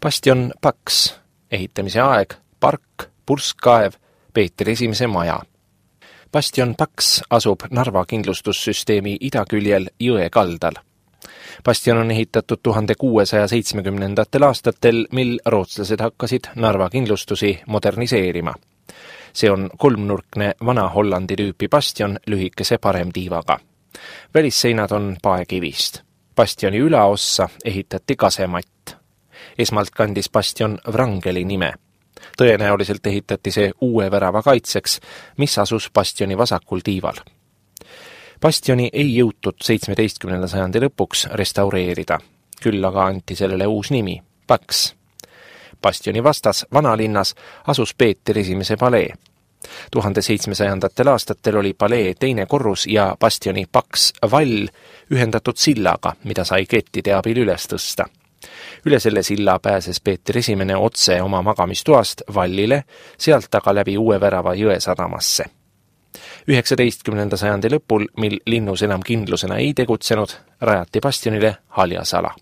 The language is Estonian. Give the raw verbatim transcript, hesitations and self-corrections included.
Bastion paks, ehitamise aeg, park, purskkaev, Peeter Esimese maja. Bastion paks asub Narva kindlustussüsteemi idaküljel jõe kaldal. Bastion on ehitatud tuhande kuuesaja seitsmekümnendatel aastatel, mil rootslased hakkasid Narva kindlustusi moderniseerima. See on kolmnurkne vana Hollandi tüüpi bastion lühikese paremtiivaga. Välisseinad on paekivist. Bastioni ülaossa ehitati kasematt. Esmalt kandis bastion Wrangeli nime. Tõenäoliselt ehitati see uue värava kaitseks, mis asus bastioni vasakul tiival. Bastioni ei jõutud seitsmeteistkümnenda sajandi lõpuks restaureerida, küll aga anti sellele uus nimi, paks. Bastioni vastas vanalinnas asus Peeter Esimese palee. tuhande seitsmesajandatel aastatel oli palee teine korrus ja bastioni paks vall ühendatud sillaga, mida sai kettide abil üles tõsta. Üle selle silla pääses Peeter Esimene otse oma magamistoast vallile, sealt aga läbi uue värava jõe sadamasse. üheksateistkümnenda sajandi lõpul, mil linnus enam kindlusena ei tegutsenud, rajati bastionile haljasala.